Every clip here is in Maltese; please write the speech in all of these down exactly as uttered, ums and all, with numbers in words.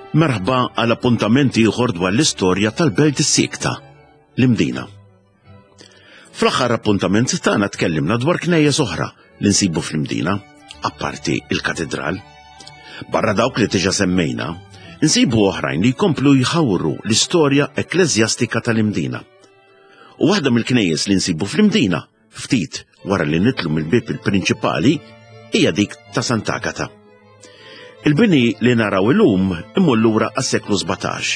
Merħba għal appuntament ieħor dwar l-istorja tal-Belt is-Siekta, l-Imdina. Fl-aħħar appuntament tagħna tkellimna dwar knejjes oħra li nsibu fl-Imdina, apparti il-Katedral. Barra dawk li diġà semmejna, nsibu oħrajn li jkomplu jħawru l-istorja ekkleżjastika tal-Imdina. U waħda mill-knejjes li nsibu fl-Imdina, ftit wara li nidħlu mill-bib il-prinċipali, hija dik ta' Sant'Agata. Il-bini li naraw illum imur lura għas-seklu sbatax.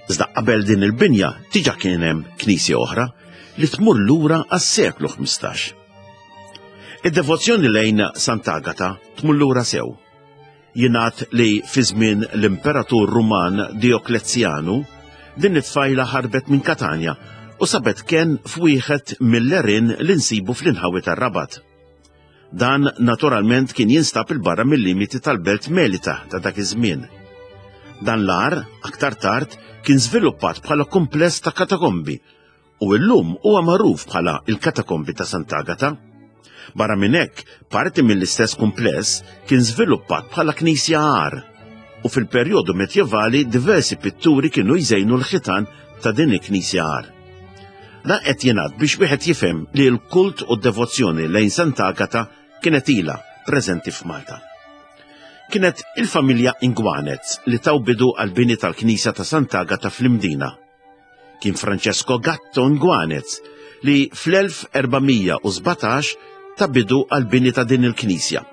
Iżda qabel din il-binja diġà kien hemm knisja oħra li tmur lura għas-seklu ħmistax. Id-devozzjoni lejn Sant'Agata tmur lura sew. Jingħad li fi żmien l-Imperatur Ruman Dioklezjanu din it-tfajla ħarbet minn Katanja u sabet ken f'wieħed mill-għerien li nsibu fl-inħawi tar-Rabat. Dan naturalment kien jinstab il-barra mill-limiti tal-belt Melita ta' dak iż-żmien. Dan l-għar, aktar tard, kien żviluppat bħala kumpless ta' katakombi u llum huwa magħruf bħala il-katakombi ta' Sant'Agata. Barra minn hekk, parti mill-istess kumpless kien żviluppat bħala knisja għar u fil-perjodu medjevali diversi pitturi kienu jżejnu l-ħitan ta' din il-knisja għar. Dan qed jingħad biex wieħed jifhem li l-kult u d-devozzjoni lejn Sant'Agata kienet ilha preżenti f'Malta. Kienet il-familja Inguanez li taw bidu għal-bini tal-knisja ta' Sant'Agata fl-Imdina. Kien Francesco Gatto Inguanez li fl-elf erbamija u sbatax ta' bidu għal-bini ta' din il-knisja.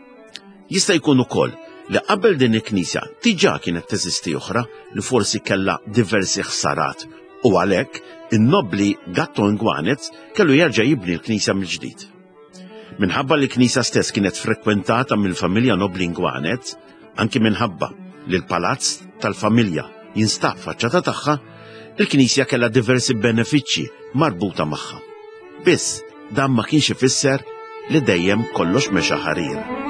Jista' jkun ukoll li qabel din il-knisja diġà kienet teżisti oħra li forsi kellha diversi ħsarat u għalhekk in-nobbli Gatto Inguanez kellu jerġa' jibni l-knisja mill-ġdid. Minħabba li l-knisja stess kienet frekwentata mill-familja nobbli Inguanez, anki minħabba li l-palazz tal-familja jinstab faċċata tagħha, il-knisja kellha diversi benefiċċji marbuta magħha. Biss dan ma kienx ifisser li dejjem kollox mexa ħarir.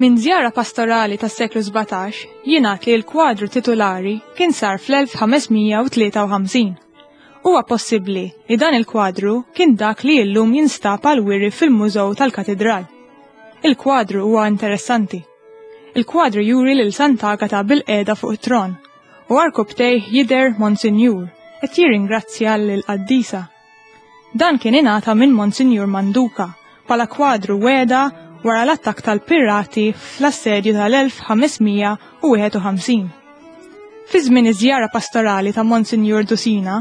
Minn żjara pastorali tas-seklu sbatax jingħad li l-kwadru titulari kien sar fl-elf ħamesmija u tlieta u ħamsin. Huwa possibbli li dan il-kwadru kien dak li llum jinstab għal wiri fil-Mużew tal-Katedral. Il-kwadru huwa interessanti. Il-kwadru juri lil Sant'Agata bil-qiegħda fuq it-tron u arkubtejh jidher Monsinjur qed jirringrazzja lil qaddisa. Dan kien ingħata minn Monsinjur Manduca bħala kwadru weda wara l-attakk tal-pirati fl-assedju tal-elf ħamesmija u wieħed u ħamsin. Fi żmien iż-żjara pastorali ta' Monsinjur Dusina,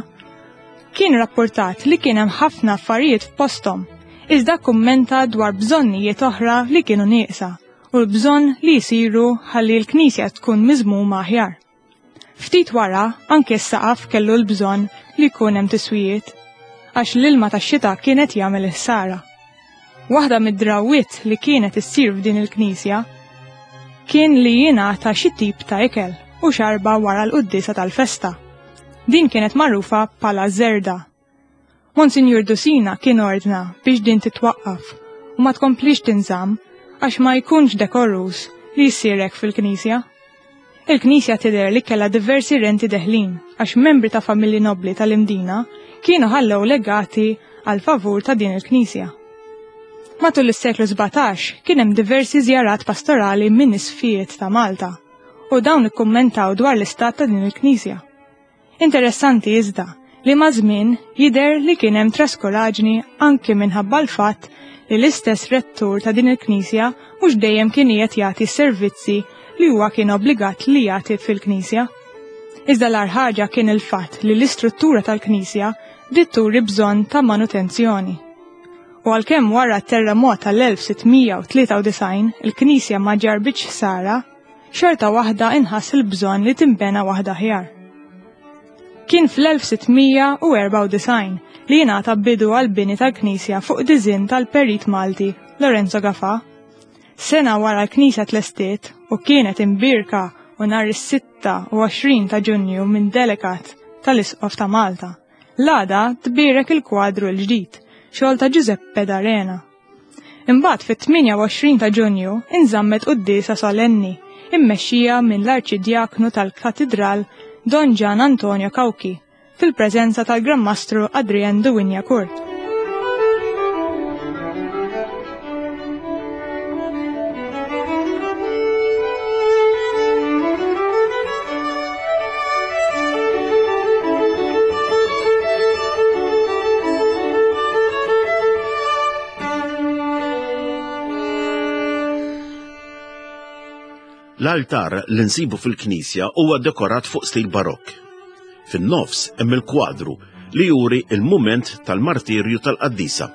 kien rapportat li kien hemm ħafna affarijiet f'posthom, iżda kummenta dwar bżonnijiet oħra li kienu nieqsa u l-bżonn li jsiru ħalli l-knisja tkun miżmuma aħjar. Ftit wara anke s-saqaf kellu l-bżonn li jkun hemm tiswijiet, għax l-ilma tax-xita kienet jagħmel ħsara. Waħda mid-drawwiet li kienet issir f'din il-knisja kien li jingħata xi tip ta' ikel u xarba wara l-quddiesa tal-festa. Din kienet magħrufa bħala żerda. Monsinjur Dusina kien ordna biex din titwaqqaf u ma tkomplix tinżamm għax ma jkunx dekorus li jsir hekk fil-knisja. Il-knisja tidher li kellha diversi renti deħlin għax membri ta' familji nobbli tal-Imdina kienu ħallew legati għal favur ta' din il-knisja. Matul is-seklu sbatax kien hemm diversi żjarat pastorali minn isfijiet ta' Malta u dawn ikkummentaw dwar l-istat ta' din il-knisja. Interessanti iżda li ma' żmien jidher li kien hemm traskuraġni anke minħabba l-fatt li l-istess rettur ta' din il-knisja mhux dejjem kien qiegħed jagħti s-servizzi li huwa kien obbligat li jagħti fil-knisja. Iżda l-agħar ħaġa kien il-fatt li l-istruttura tal-knisja bdiet turi bżonn ta' manutenzjoni. U għalkemm wara t-terremot tal-elf sittmija u tlieta u disgħin il-knisja ma ġarbitx ħsara, xorta waħda inħass il-bżonn li tinbena waħda aħjar. Kien fl-elf sittmija u erbgħa u disgħin li jingħata bidu għall-bini tal-knisja fuq diżinn tal-perit Malti Lorenzo Gafà. Sena wara l-knisja tlestiet u kienet imbirka u nhar is-sitta u għoxrin ta' Ġunju minn delegat tal-Isqof ta' Malta. L-għada tbierek il-kwadru l-ġdid, xogħol ta' Giuseppe D'Arena. Imbagħad fit-tmienja u għoxrin ta' Ġunju inżammet quddiesa solenni immexxija minn l-Arċidjaknu tal-Katidral Don Gian Antonio Cauchi fil-preżenza tal-Gran Mastru Adrien de Wignacourt. L-altar li nsibu fil-knisja huwa dekorat fuq stil barokk. Fin-nofs hemm il-kwadru li juri il-mument tal-martirju tal-qaddisa,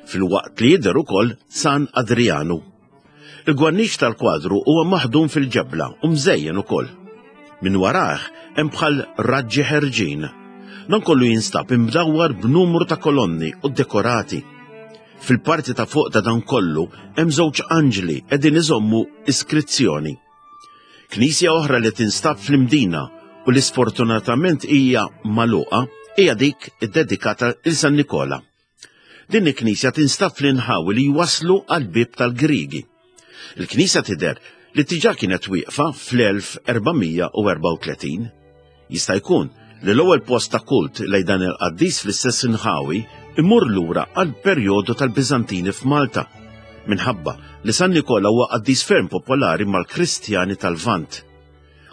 filwaqt li jidher ukoll San Adrianu. Il-gwarniċ tal-kwadru huwa maħdum fil-ġebla u mżejjen ukoll. Min warah hemm bħal raġġi ħerġin. Dan kollu jinstab imdawwar b'numru ta' kolonni u dekorati. Fil-parti ta' fuq ta' dan kollu hemm żewġ anġli qegħdin iżommu iskrizzjoni. Knisja oħra li tinstab fl-Imdina u li sfortunatament hija magħluqa hija dik iddedikata lil San Nikola. Din il-knisja tinstab fl-inħawi li jwaslu għall-bieb tal-Griegi. Il-knisja tidher li diġà kienet wieqfa fl-elf erbamija u erbgħa u tletin. Jista' jkun li l-ewwel post ta' kult lejn dan il-qaddis fl-istess inħawi imur lura għal perjodu tal-Biżantini f'Malta, minħabba li San Nikola huwa qaddis ferm popolari mal-Kristjani tal-Lvant.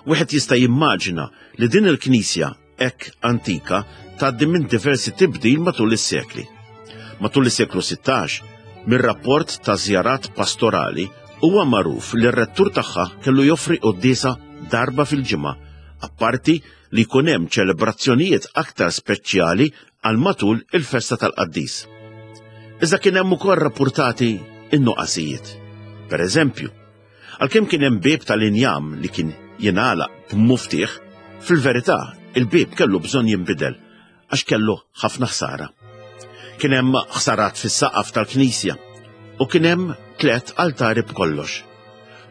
Wieħed jista' jimmaġina li din il-knisja hekk antika tgħaddi minn diversi tibdil matul is-sekli. Matul is-seklu sittax, mir-rapport ta' żjarat pastorali huwa magħruf li r-rettur tagħha kellu joffri quddiesa darba fil-ġimgħa, apparti li jkun hemm ċelebrazzjonijiet aktar speċjali għal matul il-festa tal-qaddis. Iżda kien hemm ukoll rappurtati in-nuqqasijiet. Per eżempju, għalkemm kien hemm bieb tal-injam li kien jingħalaq b'muftieħ, fil-verità il-bieb kellu bżonn jinbidel għax kellu ħafna ħsara. Kien hemm ħsarat fis-saqaf tal-knisja u kien hemm tliet altari b'kollox.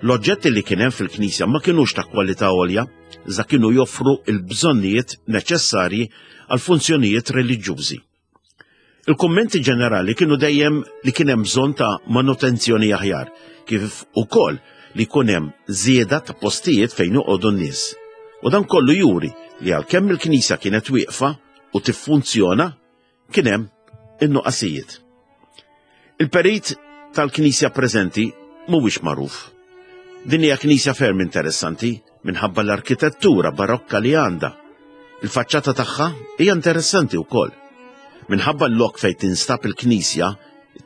L-oġġetti li kien hemm fil-knisja ma kinux ta' kwalità għolja, iżda kienu joffru l-bżonnijiet neċessarji għal funzjonijiet reliġjużi. Il-kummenti ġenerali kienu dejjem li kien hemm bżonn ta' manutenzjoni aħjar, kif ukoll li jkun hemm żieda ta' postijiet fejn joqogħdu n-nies. U dan kollu juri li għalkemm il-knisja kienet wieqfa u tiffunzjona, kien hemm in-nuqqasijiet. Il-perit tal-knisja preżenti mhuwiex magħruf. Din hija knisja ferm interessanti minħabba l-arkitettura barokka li għandha. Il-faċċata tagħha hija interessanti wkoll. Minħabba l-lok fejn tinstab il-knisja,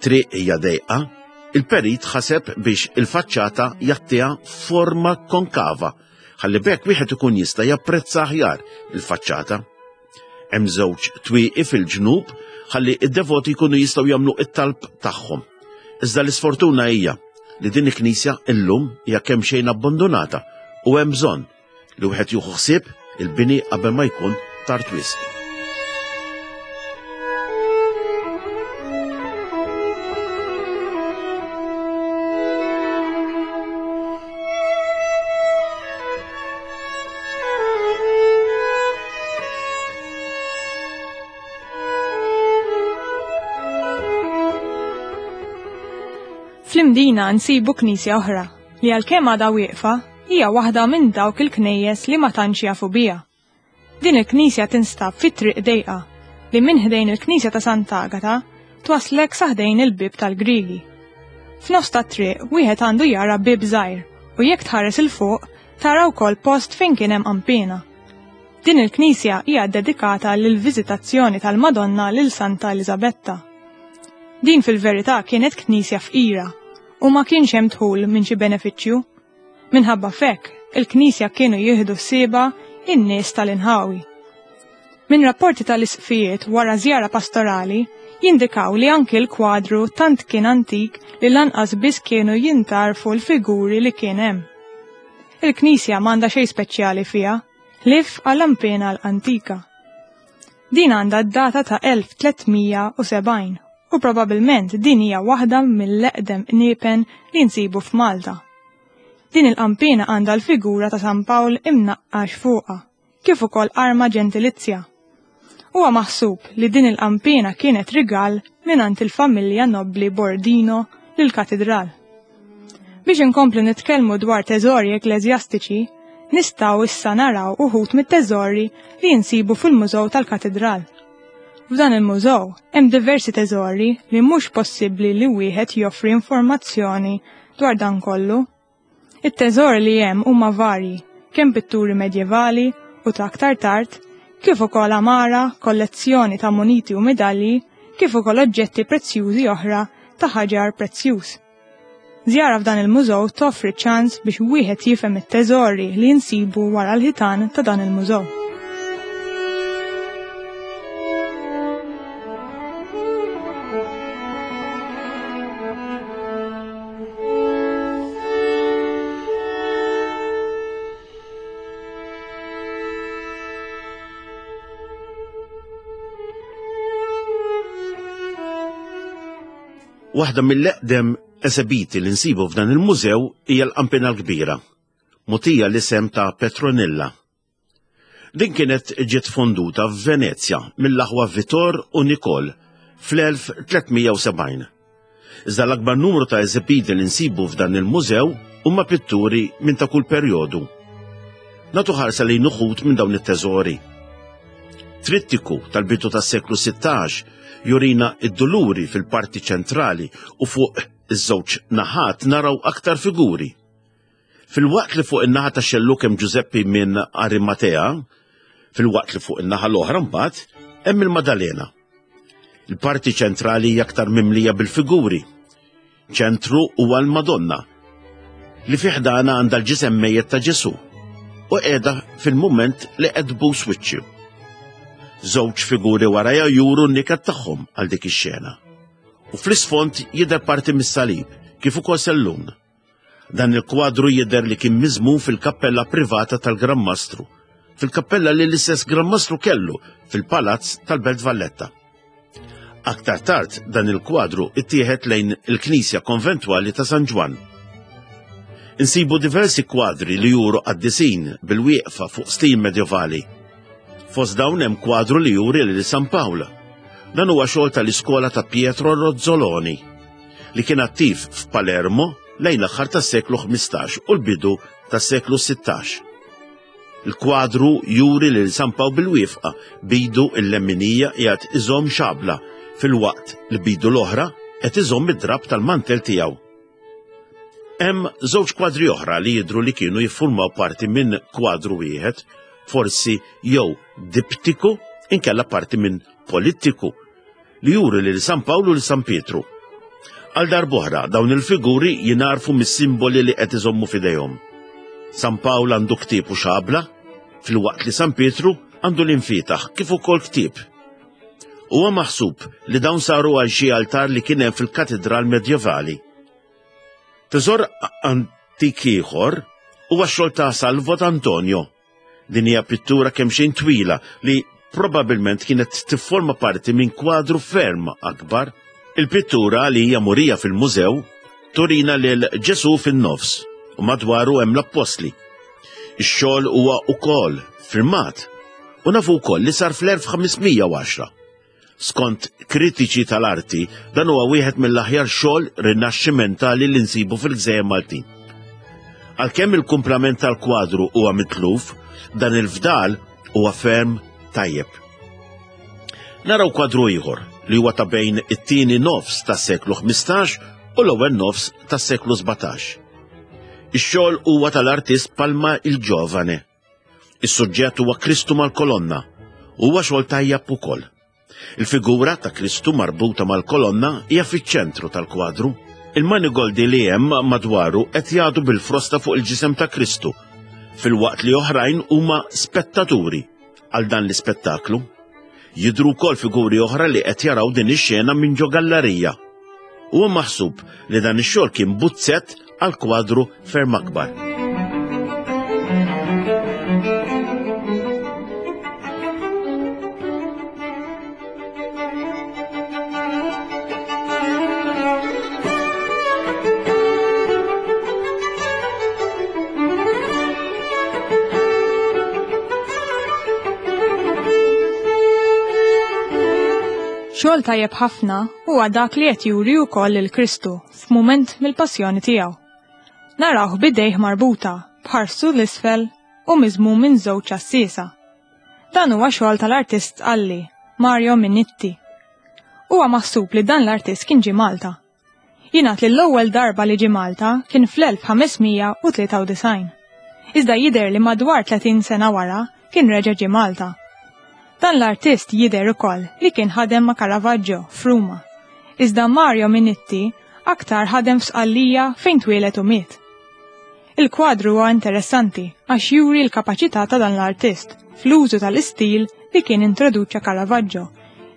triq hija dejqa, il-perit ħaseb biex il-faċċata jagħtiha forma konkava, ħalli b'hekk wieħed ikun jista' japprezza aħjar il-faċċata. Hemm żewġ twieqi fil-ġnub ħalli id-devoti jkunu jistgħu jagħmlu it-talb tagħhom. Iżda l-isfortuna hija li din il-knisja illum hija kemm xejn abbandonata u hemm bżonn li wieħed jieħu ħsieb il-bini qabel ma jkun tard wisq. Fl-Imdina nsibu knisja oħra li għalkemm għadha wieqfa hija waħda minn dawk il-knejjes li ma tantx jafu biha. Din il-knisja tinstab fi triq dejqa li minn ħdejn il-knisja ta' Sant'Agata twaslek sa ħdejn il-bieb tal-Griegi. F'nofs tat-triq wieħed għandu jara bieb żgħir u jekk tħares il fuq tara wkoll post fejn kien hemm qanpiena. Din il-knisja hija ddedikata lill-viżitazzjoni tal-Madonna lil Santa Eliżabetta. Din fil-verità kienet knisja fqira u ma kienx hemm dħul minn xi benefiċċju. Minħabba f'hekk, il-knisja kienu jieħdu ssieba in-nies tal-inħawi. Minn rapporti tal-isqfijiet wara żjara pastorali jindikaw li anki l-kwadru tant kien antik li lanqas biss kienu jintarfu l-figuri li kien hemm. Il-knisja m'għandha xejn speċjali fiha, ħlief għall-ampena l-antika. Din għandha d-data ta' elf tliet mija u sebgħin u probabilment din hija waħda mill-eqdem qniepen li nsibu f'Malta. Din il-qampina għandha l-figura ta' San Pawl imnaqqax fuqha, kif ukoll arma ġentilizja. Huwa maħsub li din il-qampina kienet rigal mingħand il-familja nobbli Bordino lill-katidral. Biex inkomplu nitkellmu dwar teżori ekkleżjastiċi, nistgħu issa naraw uħud mit-teżori li jinsibu fil-Mużew tal-Katidral. F'dan il-mużew hemm diversi teżori li mhux possibbli li wieħed joffri informazzjoni dwar dan kollu. It-teżori li hemm huma varji, kemm pitturi medjevali u ta' aktar tard, kif ukoll għamara, kollezzjoni ta' muniti u medalji, kif ukoll oġġetti prezzjużi oħra ta' ħaġar prezzjuż. Żjara f'dan il-mużew toffri ċans biex wieħed jifhem it-teżori li jinsibu wara l-ħitan ta' dan il-mużew. Waħda mill-eqdem esebiti li nsibu f'dan il-mużew hija l-Qampina l-Kbira, mogħtija l-isem ta' Petronilla. Din kienet ġiet fonduta f'Venezja mill-aħwa Vittor u Nicol fl-elf tliet mija u sebgħin. Iżda l-akbar numru ta' eżebiti li nsibu f'dan il-mużew huma pitturi minn ta' kull perjodu. Nagħtu ħarsa lejn uħud minn dawn it-teżori. Trittiku tal-bidu tas-seklu sittax jurina id-duluri fil-parti ċentrali u fuq iż-żewġ naħat naraw aktar figuri. Fil-waqt li fuq in-naħa ta' xelluk hemm Giuseppe minn Arimatea, fil-waqt li fuq in-naħa l-oħra mbagħad hemm il-Madalena. Il-parti ċentrali hija aktar mimlija bil-figuri. Ċentru huwa l-Madonna li fi ħdana għandha l-ġisem mejjet ta' Ġesu u qiegħda fil-mument li qed tbus wiċċu. Żewġ figuri warajha juru n-niket tagħhom għal dik ix-xena. U fl-isfond jidher parti mis-salib kif ukoll sellun. Dan il-kwadru jidher li kien miżmum fil-kappella privata tal-Gran Mastru, fil-kappella li l-istess Gran Mastru kellu fil-Palazz tal-Belt Valletta. Aktar tard dan il-kwadru ittieħed lejn il-Knisja Konventwali ta' San Ġwann. Insibu diversi kwadri li juru qaddisin bil-wieqfa fuq stil medjevali. Fost dawn hemm kwadru li juri lil San Pawl. Dan huwa xogħol tal-iskola ta' Pietro Rozzoloni, li kien attiv f'Palermo lejn l-aħħar tas-seklu ħmistax u l-bidu tas-seklu sittax. Il-kwadru juri lil San Pawl bil-wifqa bidu l-lemminija qiegħed iżomm xabla fil-waqt li bidu l-oħra qed iżomm id-drab tal-mantel tiegħu. Hemm żewġ kwadri oħra li jidhru li kienu jiffurmaw parti minn kwadru wieħed, forsi jew diptiku inkella parti minn polittiku, li juri lil San Pawlu u lil San Pietru. Għal darb'oħra dawn il-figuri jingħarfu mis-simboli li qed iżommu f'idejhom. San Pawl għandu ktieb u xabla, filwaqt li San Pietru għandu l-infitaħ kif ukoll ktieb. Huwa maħsub li dawn saru għal xi altar li kien hemm fil-katedral medjevali. Teżor antik ieħor huwa x-xogħol ta' Salvo d'Antonio. Din hija pittura kemm xejn twila li probabilment kienet tifforma parti minn kwadru ferm akbar. Il-pittura li hija murija fil-mużew turina lil Ġesu fin-nofs u madwaru hemm l-appostli. Ix-xogħol huwa wkoll firmat u nafu wkoll li sar fl-elf ħames mija u għaxra. Skont kritiċi tal-arti, dan huwa wieħed mill-aħjar xogħol rinaxximentali li nsibu fil-Gżejjer Maltin. Għalkemm il-kumplament tal-kwadru huwa mitluf, dan il-fdal huwa ferm tajjeb. Naraw kwadru ieħor li huwa ta' bejn it-tieni nofs tas-seklu ħmistax u l-ewwel nofs tas-seklu sbatax. Ix-xogħol huwa tal-artist Palma il-Ġovane. Is-suġġett huwa Kristu mal-kolonna, huwa xogħol tajjeb ukoll. Il-figura ta' Kristu marbuta mal-kolonna hija fiċ-ċentru tal-kwadru. Il-manigoldi li hemm madwaru qed jagħdu bil-frosta fuq il-ġisem ta' Kristu, filwaqt li oħrajn huma spettaturi għal dan l-ispettaklu. Jidhru wkoll figuri oħra li qed jaraw din ix-xena minn ġo gallerija. Huwa maħsub li dan ix-xogħol kien buzzett għal kwadru ferm akbar. Xogħol tajjeb ħafna huwa dak li qed juri wkoll lil Kristu f'mument mill-passjoni tiegħu. Narawh b'idejh marbuta, b'ħarsu l-isfel u miżmum minn żewġ għassiesa. Dan huwa xogħol tal-artist Sqalli, Mario Minitti. Huwa maħsub li dan l-artist kien ġie Malta. Jingħad li l-ewwel darba li ġie Malta kien fl-elf ħames mija u tlieta u disgħin. Iżda jidher li madwar tletin sena wara kien reġa' ġie Malta. Dan l-artist jidher ukoll li kien ħadem ma' Caravaggio f'Ruma. Iżda Mario Minitti aktar ħadem f'Sqallija fejn twieled u miet. Il-kwadru huwa interessanti għax juri l-kapaċità ta' dan l-artist fl-użu tal-istil li kien introduċa Caravaggio,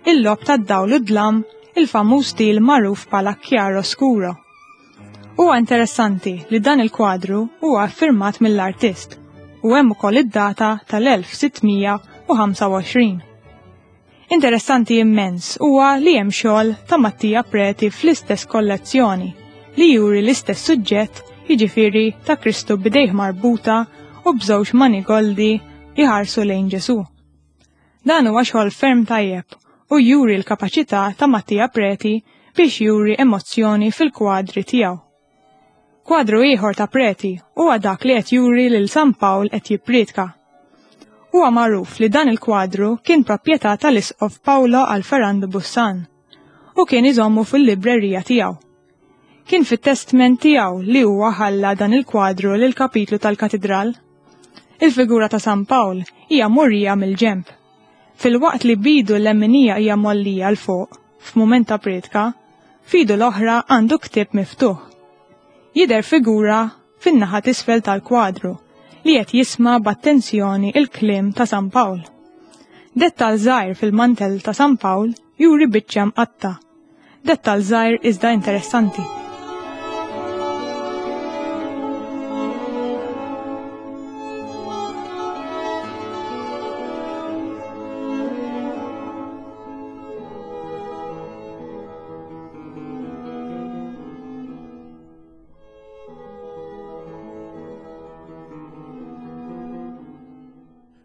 il-logħob tad-dawl u d-dlam, il-famuż stil magħruf bħala chiaroscuro. Huwa interessanti li dan il-kwadru huwa affirmat mill-artist u hemm ukoll id-data tal-elf sittmija u ħamsa u għoxrin. Interessanti immens huwa li hemm xogħol ta' Mattia Preti fl-istess kollezzjoni li juri l-istess suġġett, jiġifieri ta' Kristu b'idejh marbuta u b'żewġ manigoldi jħarsu lejn Ġesù. Dan huwa xogħol ferm tajjeb u juri l-kapaċità ta' Mattia Preti biex juri emozzjoni fil-kwadri tiegħu. Kwadru ieħor ta' Preti huwa dak li qed juri lil San Pawl qed jippriedka. Huwa magħruf li dan il-kwadru kien proprjetà tal-Isqof Paolo Alferrando Bussan u kien iżommu fil-librerija tiegħu. Kien fit-testment tiegħu li huwa ħalla dan il-kwadru lil kapitlu tal-katedral. Il-figura ta' San Pawl hija murija mill-ġenb. Filwaqt li bidu l-lemminija hija mollija l fuq f'mument ta' priedka, fidu l-oħra għandu ktieb miftuħ. Jidher figura fin-naħa t'isfel tal-kwadru li qed jisma' b'attenzjoni il-kliem ta' San Pawl. Dettal żgħir fil-mantel ta' San Pawl juri biċċa mqatta. Dettal żgħir iżda interessanti.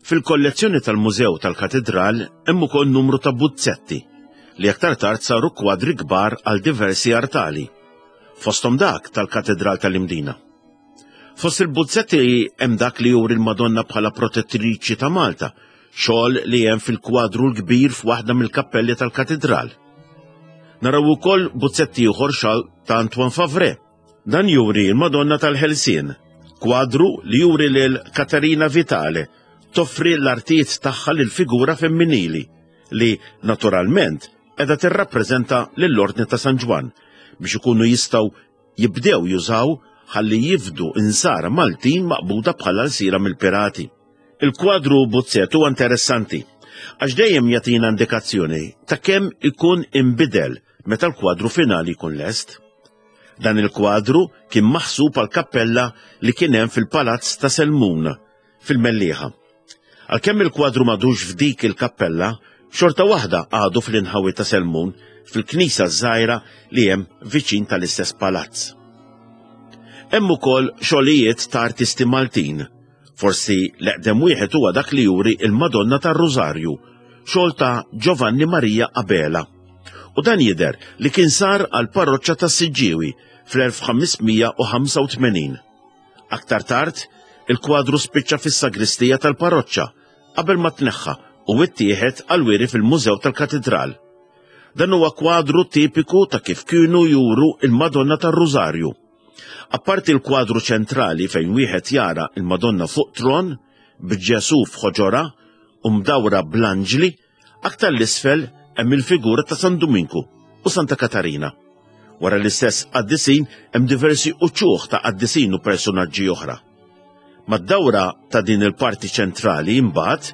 Fil-kollezzjoni tal-Mużew tal-Katedral hemm ukoll numru ta' buzzetti li aktar tard saru kwadri kbar għal diversi artali, fosthom dak tal-Katedral tal-Imdina. Fost il-buzzetti hemm dak li juri l-Madonna bħala protettriċi ta' Malta, xogħol li hemm fil-kwadru l-kbir f'waħda mill-kappelli tal-Katedral. Naraw ukoll buzzetti ieħor xogħol ta' Antoine Favre. Dan juri l-Madonna tal-Ħelsien, kwadru li juri lil Katerina Vitale toffri l-artijiet tagħha lil figura femminili li naturalment qiegħda tirrappreżenta lill-Ordni ta' San Ġwann biex ikunu jistgħu jibdew jużaw ħalli jifdu insara Maltin maqbuda bħala lsira mill-pirati. Il-kwadru buzzet huwa interessanti għax dejjem jagħtina indikazzjoni ta' kemm ikun inbidel meta l-kwadru finali jkun lest. Dan il-kwadru kien maħsub għal kappella li kien hemm fil-Palazz ta' Selmun fil-Mellieħa. Għalkemm il-kwadru madux f'dik il-kappella, xorta waħda għadu fl-inħawi ta' Selmun fil-knisja żgħira li hemm viċin tal-istess palazz. Hemm ukoll xogħlijiet ta' artisti Maltin. Forsi l-eqdem wieħed huwa dak li juri il-Madonna tar-Rużarju, xogħol ta' Giovanni Maria Abela. U dan jidher li kien sar għal parroċċa ta' Siġġiewi fl-elf ħames mija u ħamsa u tmenin. Aktar tard, il-kwadru spiċċa fis-sagristija tal-parroċċa qabel ma tneħħa u ittieħed għal wiri fil-Mużew tal-Katedral. Dan huwa kwadru tipiku ta' kif kienu juru il-Madonna tar-Rużarju. Apparti l-kwadru ċentrali fejn wieħed jara il-Madonna fuq tron b'Ġesu f'ħoġora u mdawra bl-anġli, aktar l-isfel hemm il-figura ta' San Duminku u Santa Katarina. Wara l-istess qaddisin hemm diversi uċuħ ta' qaddisin u personaġġi oħra. Mad-dawra ta' din il-parti ċentrali imbagħad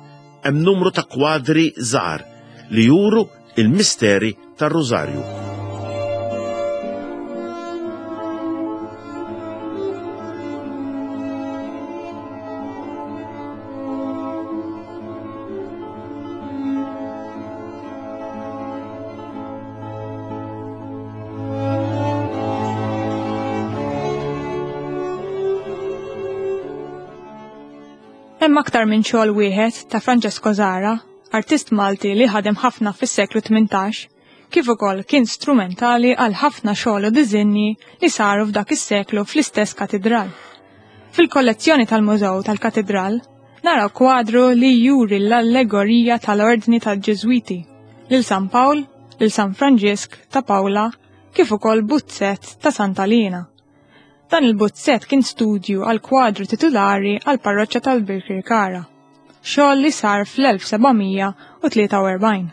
hemm numru ta' kwadri żgħar li juru il-misteri tar-Rużarju. Hemm aktar minn xogħol wieħed ta' Francesco Zahra, artist Malti li ħadem ħafna fis-seklu tmintax, Kif ukoll kien strumentali għal ħafna xogħol u diżinji li saru f'dak is-seklu fl-istess katidral. Fil-kollezzjoni tal-Mużew tal-Katidral naraw kwadru li juri l-allegorija tal-Ordni tal-Ġiżwiti lil San Pawl, lil San Franġisk ta' Pawla, kif ukoll buzzett ta' Santa Lina. Dan il-buzzett kien studju għal kwadru titulari għal parroċċa tal-Birkirkara, xogħol li sar fl-elf sebgħamija u tlieta u erbgħin.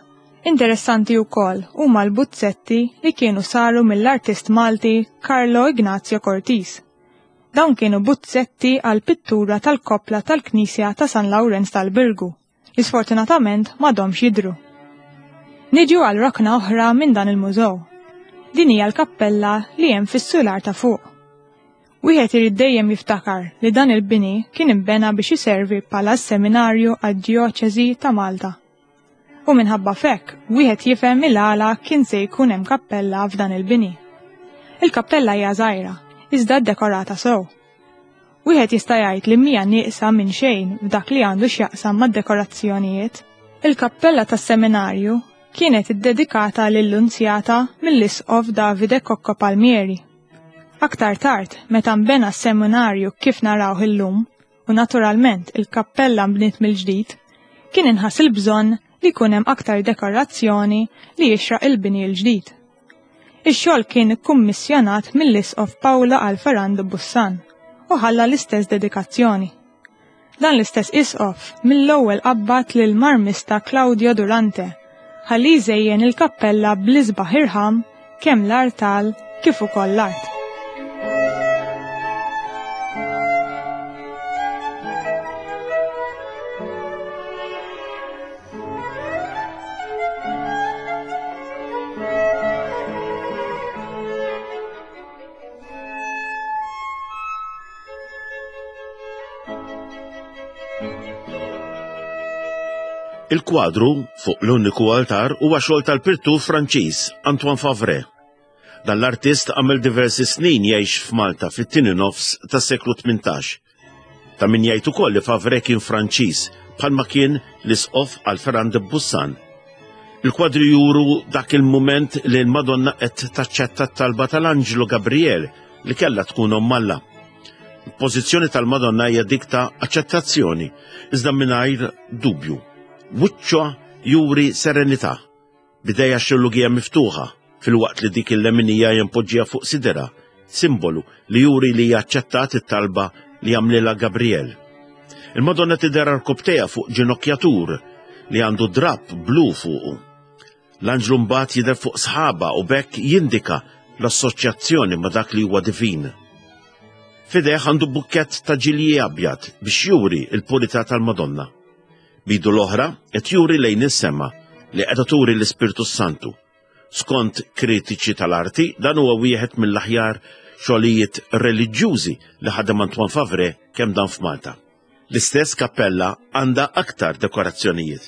Interessanti wkoll huma l-buzzetti li kienu saru mill-artist Malti Carlo Ignazio Cortis. Dawn kienu buzzetti għal pittura tal-koppla tal-Knisja ta' San Lawrenz tal-Birgu, li sfortunatament m'għadhomx jidhru. Niġu għal rokna oħra minn dan il-mużew. Din hija l-kappella li hemm fis-sular ta' fuq. Wieħed irid dejjem jiftakar li dan il-bini kien imbena biex iservi bħala seminarju għad-djoċesi ta' Malta. U minħabba fekk, wieħed jifhem il-għala kien se jkun hemm kappella f'dan il-bini. Il-kappella hija żgħira, iżda ddekorata sew. Wieħed jista' jgħid li mhija nieqsa minn xejn f'dak li għandu x'jaqsam mad-dekorazzjonijiet. Il-kappella tas-seminarju kienet iddedikata lill-Lunzjata mill-Isqof Davide Cocco Palmieri. Aktar tard, meta nbena s-seminarju kif narawh illum, u naturalment il-kappella nbniet mill-ġdid, kien inħass il-bżonn li jkun hemm aktar dekorazzjoni li jixraq il-bini l-ġdid. Ix-xogħol kien ikkummissjonat mill-Isqof Paolo Alferrando Bussan u ħalla l-istess dedikazzjoni. Dan l-istess isqof mill-ewwel qabbad lil marmista Claudio Durante ħalli jżejjen il-kappella bl-isbaħ irħam kemm l-artal kif ukoll l-art. Il-kwadru fuq l-uniku altar huwa xogħol tal-pittur Franċiż Antoine Favre. Dan l-artist għamel diversi snin jgħix f'Malta fit-tieni nofs tas-seklu tmintax. Ta' min jgħid ukoll li Favre kien Franċiż bħalma kien l-isqof Alphéran de Bussan. Il-kwadri juru dak il-mument li l-Madonna qed taċċetta t-talba tal-Anġlu Gabriel li kellha tkun omm Alla. Il-pożizzjoni tal-Madonna hija dik ta' aċċettazzjoni, iżda mingħajr dubju. Wiċċha juri serenità, bidejja xillugija miftuħa, fil-waqt li dik il-leminija jimpoġġija fuq sidera, simbolu li juri li hija aċċettat it-talba li għamlilha Gabriel. Il-Madonna tidher arkubtejha fuq ġinokjatur li għandu drapp blu fuqu. L-anġlu mbagħad jidher fuq sħaba u b'hekk jindika l-assoċjazzjoni ma' dak li huwa divin. Fideh għandu bukkett ta' ġilji abjad biex juri l-purità tal-Madonna. Bidu l-oħra qed juri lejn is-sema li qiegħda turi l-Ispirtu Santu. Skont kritiċi tal-arti, dan huwa wieħed mill-aħjar xogħlijiet reliġjużi li ħadem Antoine Favre kemm dan f'Malta. L-istess kappella għandha aktar dekorazzjonijiet.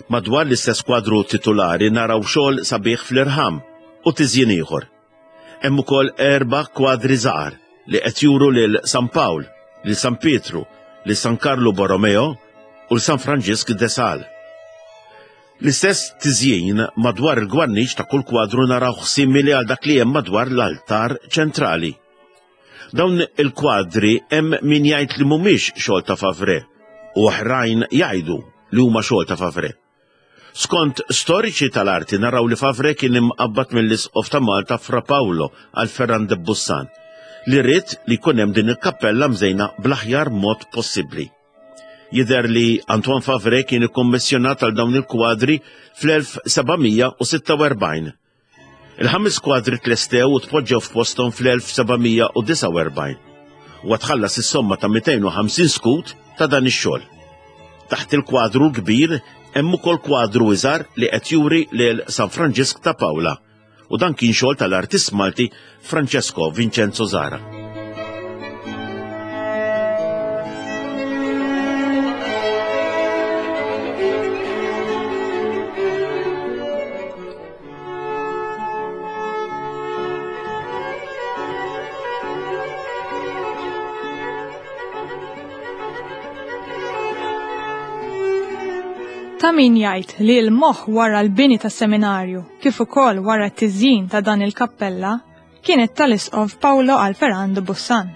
Madwar l-istess kwadru titulari naraw xogħol sabiħ fl-irħam u tiżjin ieħor. Hemm ukoll erba' kwadri żgħar li qed juru lil San Pawl, lil San Pietru, lil San Karlu Borromeo u San Franġisk de Sales. L-istess tiżjin madwar il-gwarniċ ta' kull kwadru naraw simili għal dak li hemm madwar l-altar ċentrali. Dawn il-kwadri hemm min jgħid li mhumiex xogħol ta' Favre u oħrajn jgħidu li huma xogħol ta' Favre. Skont storiċi tal-arti naraw li Favre kien imqabbad mill-Isqof ta' Malta Fra Paolo Alphéran de Bussan, li ried li jkun hemm din il-kappella mżejna bl-aħjar mod possibbli. Jidher li Antoine Favre kien ikkommissjonat għal dawn il-kwadri fl-elf sebgħamija u sitta u erbgħin. Il-ħames kwadri tlestew u tpoġġew f'posthom fl-elf sebgħamija u disgħa u erbgħin. Huwa tħallas is-somma ta' mitejn u ħamsin skut ta' dan ix-xogħol. Taħt il-kwadru l-kbir hemm ukoll kwadru iżgħar li qed juri lil San Franġisk ta' Pawla, u dan kien xogħol tal-artist Malti Francesco Vincenzo Zara. Ta' min jgħid li l-moħħ wara l-bini tas-seminarju kif ukoll wara t-tiżjin ta' dan il-kappella kienet tal-Isqof Paolo Alferrando Bussan.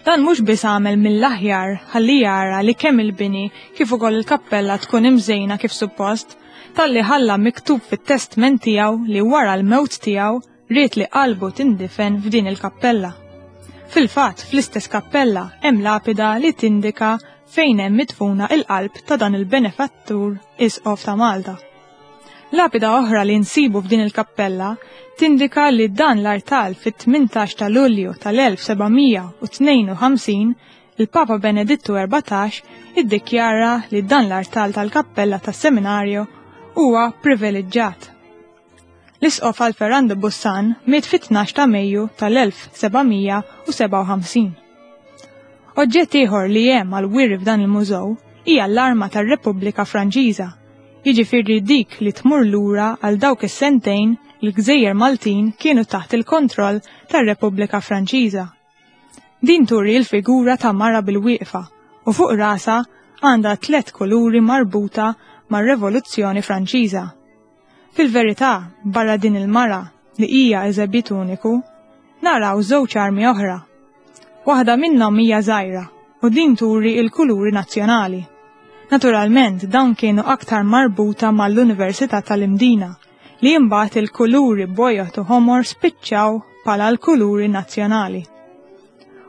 Dan mhux biss għamel mill-aħjar ħalli jara li kemm il-bini kif ukoll il-kappella tkun imżejna kif suppost, talli ħalla miktub fit-testment tiegħu li wara l-mewt tiegħu ried li qalbu tindifen f'din il-kappella. Fil-fatt, fl-istess kappella hemm lapida li tindika fejn hemm midfuna il-qalb ta' dan il-benefattur Isqof ta' Malta. Lapida oħra li nsibu f'din il-kappella tindika li dan l-artal fit-tmintax ta' Lulju tal-elf sebgħamija u tnejn u ħamsin il-Papa Benedittu erbatax iddikjara li dan l-artal tal-kappella tas-seminarju huwa privileġġjat. L-Isqof Alferrando Bussan miet fit-tnax ta' Mejju tal-elf sebgħamija u sebgħa u ħamsin. Oġġett ieħor li hemm għal wiri f'dan il-mużew hija l-arma tar-Repubblika Franċiża, jiġifieri dik li tmur lura għal dawk is-sentejn li l-Gżejjer Maltin kienu taħt il-kontroll tar-Repubblika Franċiża. Din turi l-figura ta' mara bil-wieqfa u fuq rasa għandha tliet kuluri marbuta mar-Revoluzzjoni Franċiża. Fil-verità, barra din il-mara li hija eżebit uniku, naraw żewġ armi oħra. Waħda minnhom hija żgħira u din turi l-kuluri nazzjonali. Naturalment, dawn kienu aktar marbuta mal-Università tal-Imdina, li imbagħad il-kuluri bojod u ħomor spiċċaw bħala l-kuluri nazzjonali.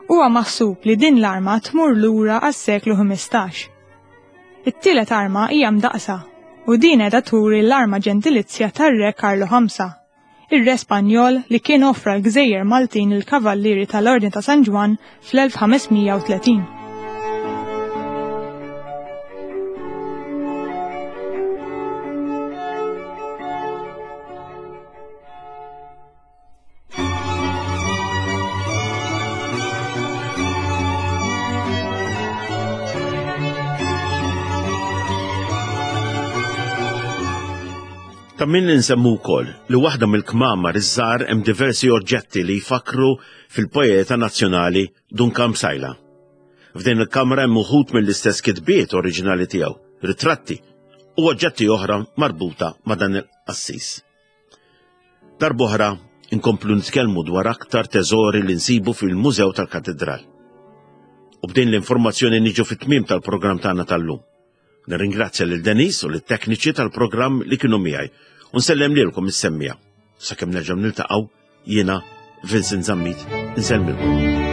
Huwa maħsub li din l-arma tmur lura għas-seklu ħmistax. It-tielet arma hija mdaqsa u din qiegħda turi l-arma ġentilizja tar-Re Karlu ħamsa, ir-Re Spanjol li kien offra l-Gżejjer Maltin il-Kavallieri tal-Ordni ta' San Ġwann fl-elf ħamesmija u tletin. Ta' min insemmu wkoll li waħda mill-kmamar iż-żgħar hemm diversi oġġetti li jfakru fil-poeta nazzjonali Dun Karm Psaila. F'din il-kamra hemm uħud mill-istess kitbiet oriġinali tiegħu, ritratti u oġġetti oħra marbuta ma' dan il-qassis. Darb'oħra inkomplu nitkellmu dwar aktar teżori li nsibu fil-Mużew tal-Katedral. U b'din l-informazzjoni niġu fit-tmiem tal-programm tagħna tal-lum. Nirringrazzja lil Denise u lit-tekniċi tal-programm li kienu miegħi u nsellem lilkom is-semmija. Sakemm nerġgħu niltaqgħu jiena Vincent Zammit insellmilkom.